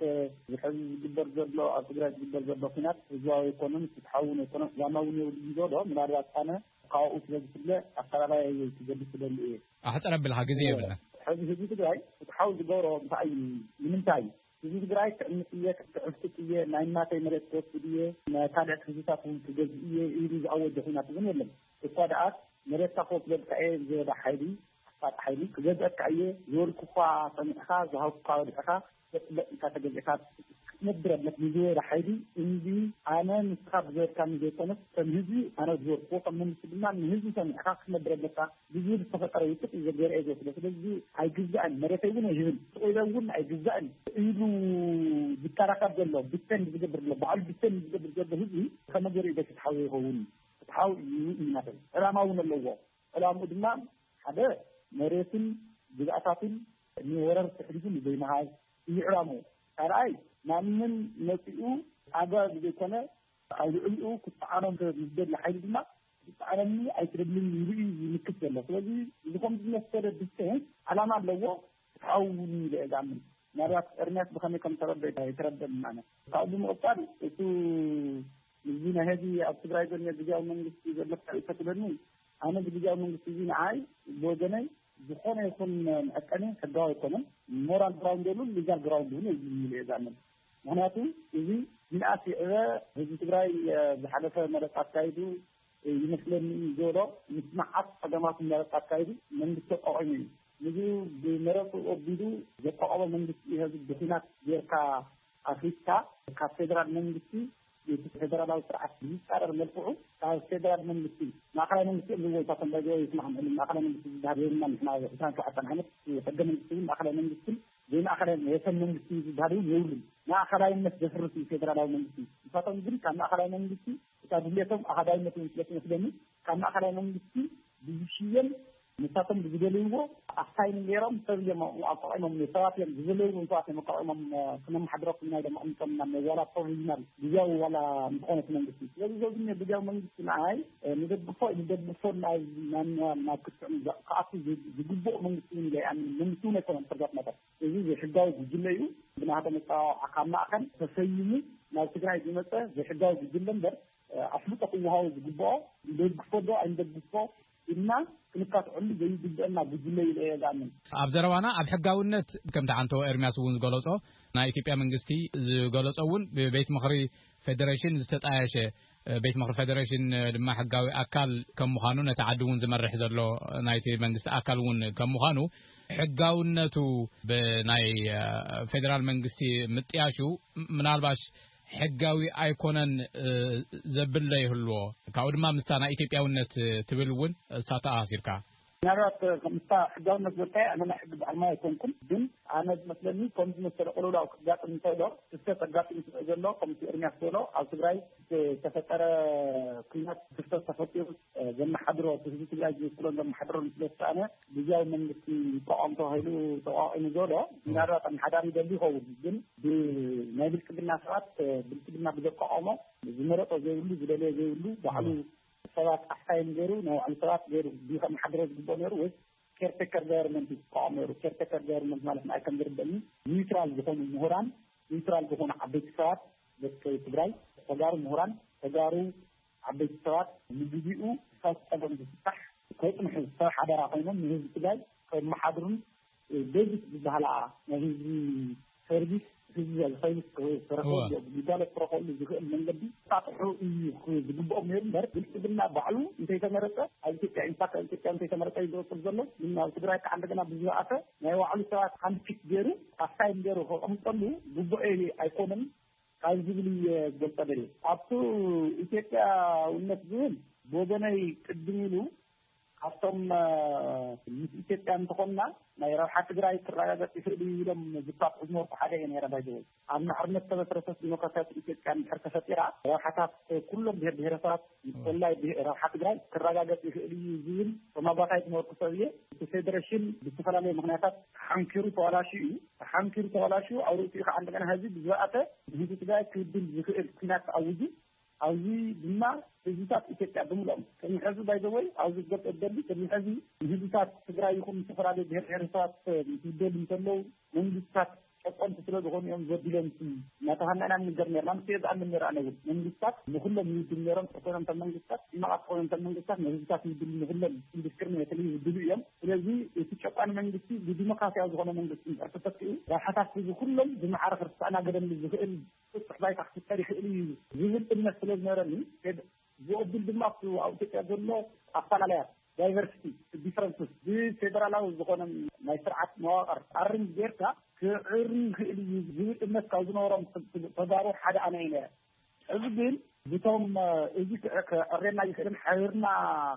ዝሕዚ ዝግበር ዘሎ ኣብ ትግራይ ዝግበር ዘሎ ኩናት ህዝባዊ ኣይኮነን፣ ፍትሓዊ እውን ኣይኮነን፣ ዕላማ እውን የብሉን ዝበሎ ምናልባት ኣነ ካብኡ ስለ ዝፍለ ኣፈላላይ ክገልፅ ዝደሊ እየ። ኣሕፅር ኣቢልካ ግዜ የብልና። ሕዚ ህዝቢ ትግራይ ፍትሓዊ ዝገብሮ እንታይ እዩ? ንምንታይ እዩ? ህዝቢ ትግራይ ክዕምፅ እየ፣ ክዕፍጥጥ እየ፣ ናይ እናተይ መሬት ክወስድ እየ፣ ናይ ካልኦት ህዝብታት እውን ክገዝእ እየ ኢሉ ዝኣወጀ ኩናት እውን የለን። እኳ ደኣ መሬትካ ክወስደልካ እየ ዝበለ ሓይሊ ኣፋጥ ሓይሊ ክገዝአካ እየ ዝበልኩ እኳ ሰሚዕካ ዝሃብኩካ ወድዕካ ዘፅለቅ ኢልካ ተገዚእካ ክትነብር ኣለክ ንዝበለ ሓይሊ እንዲ ኣነ ንስኻ ብዝበልካኒ ዘይኮነስ ከም ህዝቢ ኣነ ዝበልክዎ ከም መንግስቲ ድማ ንህዝቢ ሰሚዕካ ክትነብር ኣለካ ብዝብል ዝተፈጠረ ውፅጥ እዩ ዘገርአ ዘሎ። ስለዚ ኣይግዛእን መሬተይ እውን ኣይህብን ስቕ ኢለ እውን ኣይግዛእን ኢሉ ዝከራኸር ዘሎ ዲፌንድ ዝገብር ዘሎ ባዕሉ ዲፌንድ ዝገብር ዘሎ ህዝቢ ከመይ ገይሩ ኢለ ፍትሓዊ ይኸውን? ፍትሓዊ እዩ እዩ ናተይ ዕላማ እውን ኣለዎ። ዕላምኡ ድማ ሓደ መሬትን ግዝኣታትን ንወረርቲ ኣሕሊፉ ንዘይምሃብ እዩ ዕላምኡ። ካልኣይ ማንም መፂኡ ኣግባብ ብዘይኮነ ኣብ ልዕሊኡ ክፀዓኖ እንተ ዝደሊ ሓይሊ ድማ ክፀዓነኒ ኣይትደልን ኢሉ እዩ ዝምክት ዘሎ። ስለዚ እዚ ከም ዝመሰለ ዲስቴንስ ዓላማ ኣለዎ። ፍትሓዊ እውን ኢለ እየ ዝኣምን። ምናልባት ኤርምያስ ብኸመይ ከም ተረደ ኣይተረደን ኣነ። ካብኡ ብምቕፃል እቱ እዚ ናይ ሕዚ ኣብ ትግራይ ዘሎ ግዝያዊ መንግስቲ ዘሎ ተርእይ ተትብለኒ ኣነ እዚ ግዝያዊ መንግስቲ እዚ ንዓይ ብወገነይ ዝኾነ ይኹን መዐቀኒ ሕጋዊ ኣይኮነን። ሞራል ግራውንድ የብሉን፣ ሊጋል ግራውንድ እውን የብሉን ኢለ እየ ዝኣምን። ምክንያቱ እዚ ምንኣስ ይዕበ ህዝቢ ትግራይ ዝሓለፈ መረፃ ኣካይዱ ይመስለኒ እዩ ዝበሎ ምስ መዓት ፀገማት መረፃ ኣካይዱ መንግስቲ ኣቋቒሙ እዩ። ንዚ ብመረፅኡ ኣቢሉ ዘቋቐሞ መንግስቲ እዩ ሕዚ ብኹናት ጌርካ ኣፍሪስካ ካብ ፌደራል መንግስቲ እቲ ፌደራላዊ ስርዓት ብዝፃረር መልክዑ ካብ ፌደራል መንግስቲ ማእኸላይ መንግስቲ እዮም ዝብልዎ እኳ ከም ባይዘወይ ይስማዕ ምዕሉ ማእኸላይ መንግስቲ ዝበሃል የብልና ንሕና ዕስራን ሸውዓተን ዓመት ሕገ መንግስቲ እውን ማእኸላይ መንግስትን ዘይማእኸላይ ወሰን መንግስቲ ዝበሃል እውን የብሉን። ማእኸላይነት ዘፍርስ እዩ ፌደራላዊ መንግስቲ። ንሳቶም ግን ካብ ማእኸላይ መንግስቲ እታ ድሌቶም ኣሃዳይነት እውን ስለ ትመስለኒ ካብ ማእኸላይ መንግስቲ ብዝሽየም ንሳቶም ብዝደልይዎ ኣሳይን ገይሮም ሰብ እዮም ኣቋቒሞም ሰባት እዮም ዝደለይዎም ሰባት እዮም ኣቋቒሞም ክነመሓድረኩም ኢና ኢሎም ኣቕሚጦምና ዋላ ፕሮቪዥናል ግዝያዊ ዋላ ዝኾነ እቲ መንግስቲ። ስለዚ እዚ ኣብዚ እኒኦ ግዝያዊ መንግስቲ ንዓይ ንደግፎ ንደግፎ ናብ ናብ ናብ ክትዕ ክኣቱ ዝግብኦ መንግስቲ እውን ኢለ ይኣምን። መንግስቲ እውን ኣይኮነን ፎር ዛት ማተር እዚ ዘይሕጋዊ ጉጅለ እዩ። ብናቶም ኣፀዋውዓ ካብ ማእኸል ተሰይሙ ናብ ትግራይ ዝመፀ ዘይሕጋዊ ጉጅለ እምበር ኣፍልጦ ክወሃቦ ዝግብኦ ንደግፎ ዶ ኣይንደግፎ ኢልና ክንካትዐሉ ዘይግብአና ጉጅለ ኢለ እየ ዝኣምን። ኣብ ዘረባና ኣብ ሕጋውነት ከምቲ ዓንቶ ኤርሚያስ እውን ዝገለጾ ናይ ኢትዮጵያ መንግስቲ ዝገለጾ እውን ብቤት ምኽሪ ፌዴሬሽን ዝተጣየሸ ቤት ምኽሪ ፌዴሬሽን ድማ ሕጋዊ ኣካል ከም ምዃኑ ነቲ ዓዲ እውን ዝመርሕ ዘሎ ናይቲ መንግስቲ ኣካል እውን ከም ምዃኑ ሕጋውነቱ ብናይ ፌዴራል መንግስቲ ምጥያሹ ምናልባሽ ሕጋዊ ኣይኮነን ዘብል ይህልዎ። ካብኡ ድማ ምስታ ናይ ኢትዮጵያውነት ትብል እውን እሳተኣሲርካ። ምናልባት ከምስታ ሕጋውነት ዘታይ ኣነ ናይ ሕጊ ባዕልማ ኣይኮንኩም፣ ግን ኣነ ዝመስለኒ ከም ዝመሰለ ቅልውላው ክጋጥም እንተሎ ክስተት ኣጋጢሙ ስለ ዘሎ ከምቲ ኤርሚያስ ዝበሎ ኣብ ትግራይ ዝተፈጠረ ኩናት ክስተት ተፈጢሩ ዘመሓድሮ ህዝቢ ትግራይ ዝውክሎን ዘመሓድሮን ስለ ዝተኣነ ግዝያዊ መንግስቲ ይቋቋም ተባሂሉ ተቋቂሙ ዘሎ ምናልባት ኣመሓዳሪ ይደሊ ይኸውን፣ ግን ብናይ ብልፅግና ሰባት ብልፅግና ብዘቋቋሞ ዝመረጦ ዘይብሉ ዝደለዮ ዘይብሉ ባዕሉ ሰባት ኣስታይን ገይሩ ናይ ባዕሉ ሰባት ገይሩ ድዩ ከመሓድሮ ዝግብኦ ነይሩ ወይስ ኬርቴከር ጋቨርንመንት እዩ ዝቋቋም ነይሩ? ኬርቴከር ጋቨርንመንት ማለት ንኣይ ከም ዝርደኒ ኒውትራል ዝኾኑ ምሁራን፣ ኒውትራል ዝኾኑ ዓበይቲ ሰባት ደቂ ትግራይ፣ ተጋሩ ምሁራን፣ ተጋሩ ዓበይቲ ሰባት ንግዜኡ እሳት ፀገም ዝፍታሕ ከይፅንሑ ሰብ ሓደራ ኮይኖም ንህዝቢ ትግራይ ከመሓድሩን ቤዚክ ዝበሃላ ናይ ህዝቢ ሰርቪስ ህዝቢ ሰርቪስ ክረኽቡ ግልጋሎት ክረኽበሉ ዝኽእል መንገዲ ጣጥሑ እዩ ዝግብኦም ነይሩ እምበር ብልፅግና ባዕሉ እንተይተመረፀ ኣብ ኢትዮጵያ ኢንፋክት ኣብ ኢትዮጵያ እንተይተመረፀ እዩ ዝቕፅል ዘሎ። ግን ኣብ ትግራይ ከዓ እንደገና ብዝበኣሰ ናይ ባዕሉ ሰባት ሃንድፒክ ገይሩ ኣሳይን ገይሩ ከቐምጠሉ ግቡእ ኣይኮነን ካብ ዝብል እየ ዝገልፀ ደልየ። ኣብቱ ኢትዮጵያውነት ዝብል ብወገነይ ቅድም ኢሉ ካብቶም ምስ ኢትዮጵያ እንተኾንና ናይ ረብሓ ትግራይ ክረጋገፅ ይኽእል እዩ ኢሎም ዝፋትሑ ዝነበርኩ ሓደ እየ ነይረ። ባይዘወይ ኣብ ማዕርነት ዝተመስረተት ዲሞክራሲያዊት ኢትዮጵያ እንድሕር ተፈጢራ ረብሓታት ኩሎም ብሄር ብሄረሰባት ብፍላይ ረብሓ ትግራይ ክረጋገፅ ይኽእል እዩ ዝብል ተማጓታይ ዝነበርኩ ሰብ እየ። እቲ ፌዴሬሽን ብዝተፈላለየ ምኽንያታት ተሓንኪሩ ተባላሽዩ እዩ። ተሓንኪሩ ተባላሽዩ ኣብ ርእሲኡ ከዓ እንደገና ህዚ ብዝበኣሰ ንህዝቢ ትግራይ ክብድል ዝኽእል ኩናት ተኣዊጁ ኣብዚ ድማ ህዝብታት ኢትዮጵያ ብምልኦም ቅድሚ ሕዚ ባይዘወይ ኣብዚ ክገልፀ ዝደሊ ቅድሚ ሕዚ ንህዝብታት ትግራይ ይኹን ዝተፈላለዩ ብሄር ብሄረሰባት ምስ ዝደሊ እንተለዉ መንግስታት ጨቆንቲ ስለ ዝኾኑ እዮም ዘቢሎም እናተሃናና ንገር ነርና ምስ ዝኣምን ነር ኣነ እውን መንግስታት ንኩሎም ይውድሉ ነሮም ተኮይኖም እቶም መንግስታት ሕማቃት ተኮይኖም እቶም መንግስታት ንህዝብታት ይውድሉ ንኩሎም ኢንዱስትሪ የተለዩ ይውድሉ እዮም። ስለዚ እቲ ጨቋን መንግስቲ ብዲሞክራሲያዊ ዝኾነ መንግስቲ እንድሕር ተተኪኡ ረብሓታት ህዝቢ ኩሎም ብማዕረ ክርሳእና ገደም ዝኽእል ስጡሕ ባይታ ክፍጠር ይኽእል እዩ ዝብል እምነት ስለ ዝነበረኒ ብቕድል ድማ ኣብቲ ኣብ ኢትዮጵያ ዘሎ ኣፈላለያት ዳይቨርሲቲ ዲፈረንስስ ብፌደራላዊ ዝኾነ ናይ ስርዓት መዋቕር ኣርም ጌርካ ክዕሪ ይኽእል እዩ ዝብል እምነት ካብ ዝነበሮም ተጋሩ ሓደ ኣነ እየ ነረ። እዚ ግን ብቶም እዚ ክዕሬና ይኽእልን ሓቢርና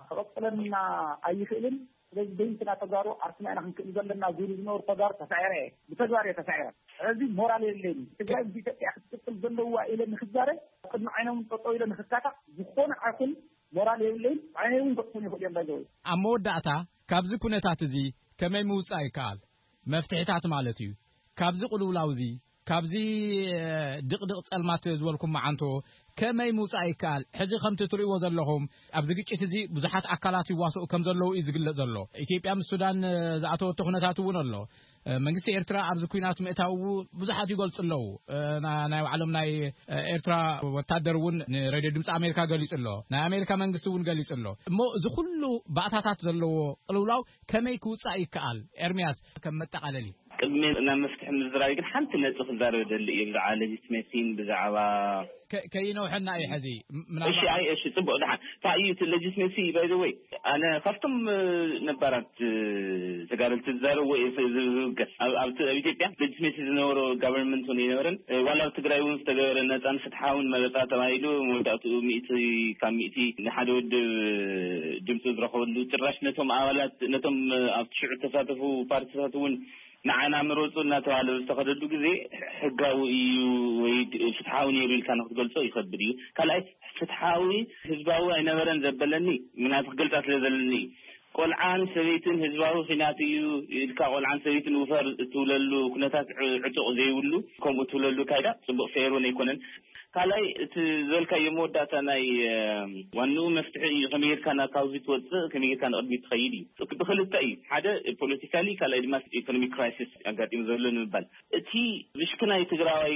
ክቐፅለና ኣይኽእልን ስለዚ በይንትና ተጋሩ ዓርስና ኢና ክንክእል ዘለና ዝብሉ ዝነበሩ ተጋሩ ተሳዒረ እየ። ብተግባር እየ ተሳዒረ። ሕዚ ሞራል የለይን። ትግራይ ምስ ኢትዮጵያ ክትቅፅል ዘለዋ ኢለ ንክዛረብ ቅድሚ ዓይኖም ጠጠው ኢለ ንክካታዕ ዝኾነ ኣይኹን ሞራል የብለይን። ዓይነይ እውን ከጥፉን ይኽእሉ እዮም ባይዘወይ። ኣብ መወዳእታ ካብዚ ኩነታት እዚ ከመይ ምውፃእ ይከኣል? መፍትሒታት ማለት እዩ። ካብዚ ቅልውላው እዚ ካብዚ ድቕድቕ ጸልማት ዝበልኩም መዓንቶ ከመይ ምውጻእ ይከኣል? ሕዚ ከምቲ ትርእይዎ ዘለኹም ኣብዚ ግጭት እዚ ብዙሓት ኣካላት ይዋስኡ ከም ዘለዉ እዩ ዝግለጽ ዘሎ። ኢትዮጵያ ምስ ሱዳን ዝኣተወቶ ኩነታት እውን ኣሎ። መንግስቲ ኤርትራ ኣብዚ ኲናት ምእታው ብዙሓት ይገልጹ ኣለዉ። ናይ ባዕሎም ናይ ኤርትራ ወታደር እውን ንሬድዮ ድምፂ ኣሜሪካ ገሊጹ ኣሎ። ናይ ኣሜሪካ መንግስቲ እውን ገሊጹ ኣሎ። እሞ እዚ ኩሉ ባእታታት ዘለዎ ቅልውላው ከመይ ክውጻእ ይከኣል? ኤርሚያስ ከም መጠቓለሊ። ቅድሚ ናብ መፍትሒ ምዝራብ ግን ሓንቲ ነጥቢ ክዛረብ ደሊ እየ ብዛዕባ ሌጂትሜሲን ብዛዕባ ከይነውሐና እዩ ሕዚ ምናልባት እሺ ኣይ እሺ ጽቡቅ ደሓን እንታይ እዩ እቲ ሌጂትሜሲ ባይ ዘ ወይ ኣነ ካብቶም ነባራት ተጋደልቲ ዝዛረብዎ እየ ዝብገስ ኣብ ኢትዮጵያ ሌጂትሜሲ ዝነበሮ ጋቨርንመንት እውን ኣይነበረን ዋላ ኣብ ትግራይ እውን ዝተገበረ ነፃን ፍትሓውን መረፃ ተባሂሉ መወዳእትኡ ሚእቲ ካብ ሚእቲ ንሓደ ውድብ ድምፂ ዝረኸበሉ ጭራሽ ነቶም ኣባላት ነቶም ኣብቲ ሽዑ ተሳተፉ ፓርቲታት እውን ንዓና ምረፁ እናተባሃለ ዝተኸደሉ ግዜ ሕጋዊ እዩ ወይ ፍትሓዊ ነይሩ ኢልካ ንክትገልፆ ይኸብድ እዩ። ካልኣይ ፍትሓዊ ህዝባዊ ኣይነበረን ዘበለኒ ምክንያቱ ክገልፃ ስለ ዘለኒ እዩ። ቆልዓን ሰበይትን ህዝባዊ ኺናት እዩ ኢልካ ቆልዓን ሰበይትን ውፈር እትብለሉ ኩነታት ዕጡቕ ዘይብሉ ከምኡ እትብለሉ ካይዳ ፅቡቕ ፌር እውን ኣይኮነን። ካልኣይ እቲ ዘልካዮ መወዳእታ ናይ ዋንኡ መፍትሒ እዩ። ከመይ ጌርካ ናብ ካብዚ ትወፅእ፣ ከመይ ጌርካ ንቕድሚት ትኸይድ እዩ። ብክልተ እዩ፣ ሓደ ፖለቲካሊ፣ ካልኣይ ድማ ኢኮኖሚክ ክራይሲስ ኣጋጢሙ ዘሎ ንምባል። እቲ ብሽክናይ ትግራዋይ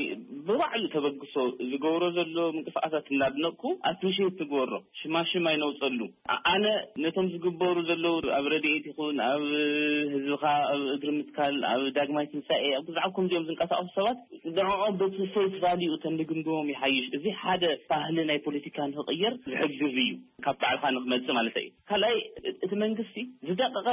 ብባዕሉ ተበግሶ ዝገብሮ ዘሎ ምንቅስቃሳት እናድነቅኩ ኣፕሪሼት ትግበሮ ሽማሽም ኣይነውፀሉ። ኣነ ነቶም ዝግበሩ ዘለዉ ኣብ ረድኤት ይኹን ኣብ ህዝብኻ ኣብ እግሪ ምትካል ኣብ ዳግማይ ትንሳኤ ኣብ ብዛዕባ ከምዚኦም ዝንቀሳቀሱ ሰባት ንዕኦም በቲ ፌስ ቫሊዩ ተንድግምግሞም ይሓይሽ። እዚ ሓደ ባህሊ ናይ ፖለቲካ ንክቕየር ዝሕግዝ እዩ፣ ካብ ባዕልካ ንክመፅእ ማለት እዩ። ካልኣይ እቲ መንግስቲ ዝደቀቀ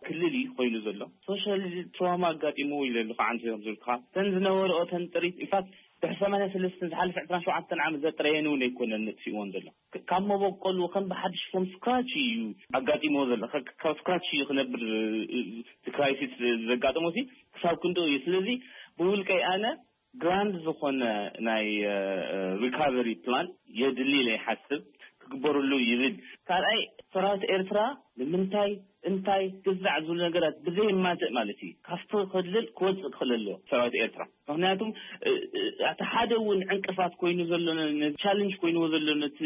ክልል እዩ ኮይኑ ዘሎ። ሶሻል ትራውማ ኣጋጢሙ ኢለ ኣለኹ። ዓንተ እዮም ዝብልካ ተን ዝነበረኦ ተን ጥሪት ኢንፋክት ድሕሪ ሰማንያ ሰለስተ ዝሓለፈ ዕስራን ሸውዓተን ዓመት ዘጥረየን እውን ኣይኮነን ነጥፊእዎን ዘሎ። ካብ መበቆሉ ከም ብሓድሽ ፎም ስክራች እዩ ኣጋጢሞ ዘሎ። ካብ ስክራች እዩ ክነብር እቲ ክራይሲስ ዘጋጠሞ ሲ ክሳብ ክንድኡ እዩ። ስለዚ ብውልቀይ ኣነ ግራንድ ዝኾነ ናይ ሪካቨሪ ፕላን የድሊ ኢለ ይሓስብ። ክግበርሉ ይብል። ካልኣይ ሰራዊት ኤርትራ ንምንታይ እንታይ ግዛዕ ዝብሉ ነገራት ብዘይ ማዘእ ማለት እዩ ካብቲ ክልል ክወፅእ ክኽእል ኣለዎ ሰራዊት ኤርትራ። ምክንያቱም እቲ ሓደ እውን ዕንቅፋት ኮይኑ ዘሎ ቻለንጅ ኮይንዎ ዘሎ ነቲ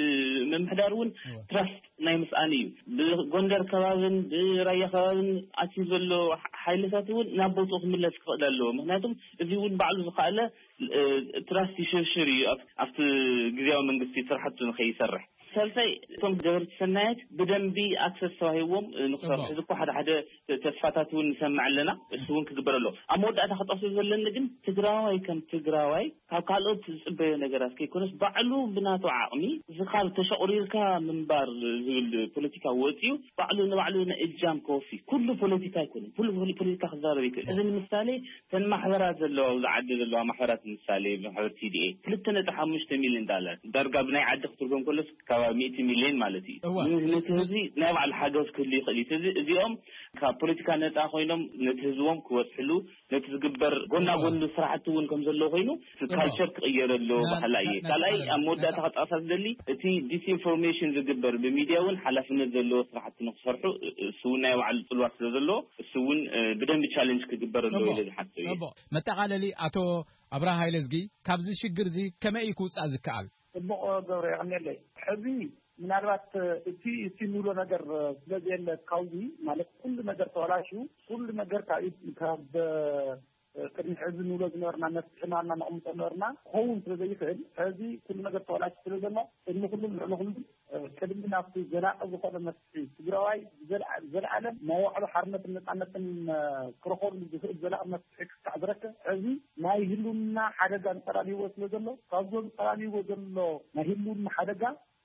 ምምሕዳር እውን ትራስት ናይ ምስኣን እዩ። ብጎንደር ከባብን ብራያ ከባብን ኣትዩ ዘሎ ሓይልታት እውን ናብ ቦትኡ ክምለስ ክኽእል ኣለዎ። ምክንያቱም እዚ እውን ባዕሉ ዝኸኣለ ትራስት ይሽርሽር እዩ ኣብቲ ግዜያዊ መንግስቲ ስራሕቱ ንኸይሰርሕ። ሳልሳይ እቶም ገበርቲ ሰናያት ብደንቢ ኣክሰስ ተዋሂዎም ንክሰርሑ ሕዚ እኮ ሓደ ሓደ ተስፋታት እውን ንሰምዕ ኣለና። እሱ እውን ክግበር ኣለዎ። ኣብ መወዳእታ ክጠቅሶ ዘለኒ ግን ትግራዋይ ከም ትግራዋይ ካብ ካልኦት ዝፅበዮ ነገራት ከይኮነስ ባዕሉ ብናቱ ዓቕሚ እዚ ካብ ተሸቑሪርካ ምንባር ዝብል ፖለቲካ ወፂኡ ባዕሉ ንባዕሉ ንእጃም ከወፊ ኩሉ ፖለቲካ ኣይኮነን። ኩሉ ፖለቲካ ክዛረብ ይክእል። እዚ ንምሳሌ እተን ማሕበራት ዘለዋ ኣብዚ ዓዲ ዘለዋ ማሕበራት ምሳሌ ማሕበር ቲ ዲ ኤ ክልተ ነጥቢ ሓሙሽተ ሚሊዮን ዳላር ዳርጋ ብናይ ዓዲ ክትርጎም ከሎስ ከባቢ ሚእቲ ሚሊዮን ማለት እዩ። ነቲ ህዝቢ ናይ ባዕሉ ሓገዝ ክህሉ ይኽእል እዩ። እዚ እዚኦም ካብ ፖለቲካ ነፃ ኮይኖም ነቲ ህዝቦም ክበፅሕሉ ነቲ ዝግበር ጎና ጎኒ ስራሕቲ እውን ከም ዘሎ ኮይኑ ካልቸር ክቕየረሎ ባህላ እየ። ካልኣይ ኣብ መወዳእታ ክጠቕሳ ዝደሊ እቲ ዲስኢንፎርሜሽን ዝግበር ብሚድያ እውን ሓላፍነት ዘለዎ ስራሕቲ ንክሰርሑ እሱ እውን ናይ ባዕሉ ፅልዋ ስለ ዘለዎ እሱ እውን ብደንቢ ቻለንጅ ክግበር ኣለዎ ኢለ ዝሓስብ እየ። መጠቓለሊ ኣቶ ኣብርሃ ሃይለዝጊ ካብዚ ሽግር እዚ ከመይ እዩ ክውፃእ ዝከኣል? ፅቡቕ ገብረ የቐንየለይ። ሕዚ ምናልባት እቲ እቲ ንብሎ ነገር ስለ ዘየለ ካብዚ ማለት ኩሉ ነገር ተበላሽዩ ኩሉ ነገር ካብ ካብ ቅድሚ ሕዚ ንብሎ ዝነበርና መፍትሒ ናብና ነቕምጦ ነበርና ክኸውን ስለ ዘይኽእል ሕዚ ኩሉ ነገር ተበላሽ ስለ ዘሎ ቅድሚ ኩሉም ልዕሊ ኩሉም ቅድሚ ናብቲ ዘላቂ ዝኾነ መፍትሒ ትግራዋይ ዘለዓለም መዋዕሎ ሓርነትን ነፃነትን ክረኸሉ ዝኽእል ዘላቂ መፍትሒ ክሳዕ ዝረክብ ሕዚ ናይ ህልውና ሓደጋ እንጠላልይዎ ስለ ዘሎ ካብዞም ጠላልይዎ ዘሎ ናይ ህልውና ሓደጋ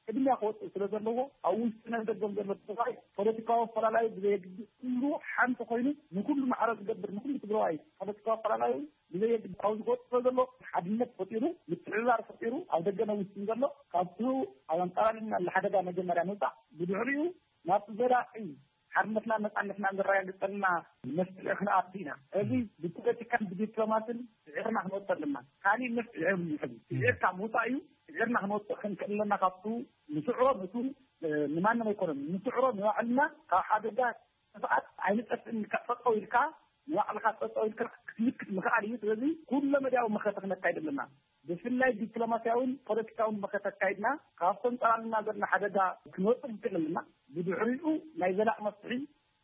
ቅድሚያ ክወፅእ ስለ ዘለዎ ኣብ ውሽጥን ኣብ ደገን ዘሎ ትግራይ ፖለቲካዊ ኣፈላላይ ብዘየግድስ ኩሉ ሓንቲ ኮይኑ ንኩሉ ማዕረ ዝገብር ንኩሉ ትግራዋይ ፖለቲካዊ ኣፈላላዩ ብዘየግድስ ኣብዚ ክወፅእ ስለ ዘሎ ሓድነት ፈጢሩ ምትሕብባር ፈጢሩ ኣብ ደገን ኣብ ውሽጥን ዘሎ ካብቲ ኣብ ኣንፃራሪና ንሓደጋ መጀመርያ ምውፃእ ብድሕሪኡ ናብቲ ዘላቂ ሓርነትና ነፃነትና ዘረጋግፀልና መፍትሒ ክንኣቱ ኢና። እዚ ብፖለቲካን ብዲፕሎማስን ስዒርና ክንወፅእ ኣለና። ካሊእ መፍትሒ የብሉን። ሕዚ ስዒርካ ምውፃእ እዩ። ስዒርና ክንወፅእ ክንክእል ኣለና። ካብቱ ንስዕሮ ነቱ ንማንም ኣይኮነን ንስዕሮ ንባዕልና ካብ ሓደጋ ጥፍኣት ኣይንጠፍእን ኢልካ ጠጠው ኢልካ ንባዕልካ ጠጠው ኢልካ ክትምክት ምኽኣል እዩ። ስለዚ ኩለ መዳያዊ መኸተ ክነካይድ ኣለና። ብፍላይ ዲፕሎማስያውን ፖለቲካውን መኸተ ኣካይድና ካብቶም ጸላልና ዘለና ሓደጋ ክንወጽእ ንክእል ኣለና። ብድሕሪኡ ናይ ዘላቕ መፍትሒ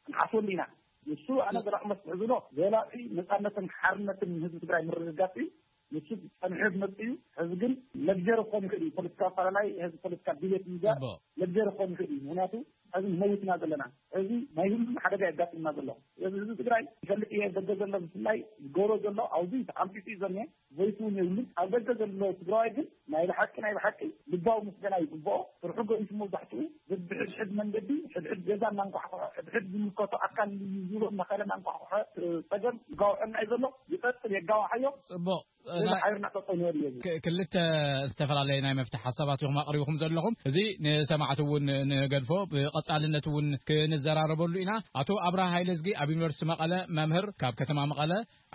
ክንሓስበሉ ኢና። ንሱ ኣነ ዘላቕ መፍትሒ ዝብሎ ዘላቒ ነጻነትን ሓርነትን ንህዝቢ ትግራይ ምርግጋጽ እዩ። ንሱ ጸኒሑ ክመጽእ እዩ። ሕዚ ግን ለግጀሪ ክኾን ይኽእል እዩ። ፖለቲካ ኣፈላላይ ሕዚ ፖለቲካ ዲቤት ምዛር ለግጀሪ ክኾን ይኽእል እዩ። ምክንያቱ ሕዚ ንመውት ኢና ዘለና። ሕዚ ናይ ሁሉም ሓደጋ የጋጥምና ዘሎ። ስለዚ ህዝቢ ትግራይ ይፈልጥ እየ ደገ ዘሎ ብፍላይ ዝገብሮ ዘሎ ኣብዚ ተኣምሲሱ እዩ ዘሎ። ዘይትውን የብሉን። ኣብ ደገ ዘሎ ትግራዋይ ግን ናይ ብሓቂ ናይ ብሓቂ ልባዊ ምስጋና ይግብኦ። ስርሑ ገዲፉ መብዛሕትኡ በብሕድሕድ መንገዲ ሕድሕድ ገዛ እናንኳሕኩሐ ሕድሕድ ዝምልከቶ ኣካል እዩ ዝብሎ እናኸለ እናንኳሕኩሐ እ፣ ጸገም ይጋውሐና እዩ ዘሎ። ይቐጽል የጋውሓዮ። ጽቡቕ። ስለዚ ናይ ሓቢርና ጠጠው ንበል እዩ። ክ- ክልተ ዝተፈላለየ ናይ መፍትሒ ሓሳባት ኢኹም ኣቕሪብኹም ዘለኹም። እዚ ንሰማዕቲ እውን ንገድፎ ብቐጻልነት እውን ክንዘራረበሉ ኢና። ኣቶ ኣብርሃ ሃይለዝጊ ኣብ ዩኒቨርሲቲ መቐለ መምህር፣ ካብ ከተማ መቐለ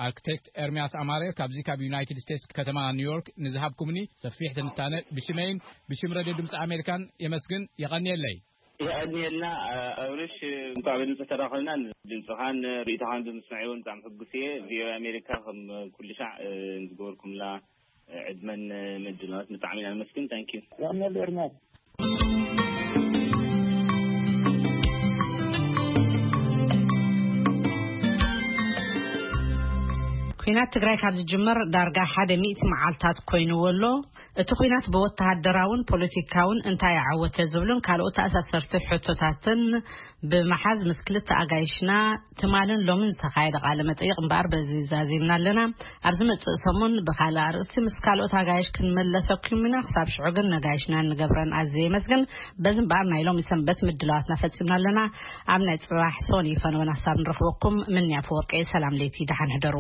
ኣርክቴክት ኤርሚያስ ኣማረ ካብዚ ካብ ዩናይትድ ስቴትስ ከተማ ኒውዮርክ ንዝሃብኩምኒ ሰፊሕ ትንታነ ብሽመይን ብሽም ረድዮ ድምፂ ኣሜሪካን የመስግን። የቐንየለይ። የቐንየልና ኣብርሽ፣ እንኳዕ ብድምፂ ተራኸብና። ድምፅኻን ርእይቶኻን ብምስማዕ እውን ብጣዕሚ ሕጉስ እየ። ቪኦኤ ኣሜሪካ ከም ኩሉ ሻዕ ዝገበርኩምላ ዕድመን ምድላዋት ብጣዕሚ ኢና ነመስግን። ታንኪዩ። ያምናል ኤርሚያስ። ኩናት ትግራይ ካብ ዝጅመር ዳርጋ ሓደ ሚእቲ መዓልታት ኮይንዎ ኣሎ። እቲ ኩናት ብወተሃደራውን ፖለቲካውን እንታይ ኣዓወተ ዝብሉን ካልኦት ተኣሳሰርቲ ሕቶታትን ብምሓዝ ምስ ክልተ ኣጋይሽና ትማልን ሎምን ዝተኻየደ ቃለ መጠይቕ እምበኣር በዚ ዛዚምና ኣለና። ኣብ ዝመጽእ ሰሙን ብኻልእ ኣርእስቲ ምስ ካልኦት ኣጋይሽ ክንመለሰኩም ኢና። ክሳብ ሽዑ ግን ነጋይሽና እንገብረን ኣዝየ የመስግን። በዚ እምበኣር ናይ ሎሚ ሰንበት ምድላዋትና ፈጺምና ኣለና። ኣብ ናይ ጽባሕ ሶኒ ፈነወን ሓሳብ ንረኽበኩም። ምንያ ፈወርቂ፣ ሰላም ለይቲ፣ ደሓን ሕደሩ።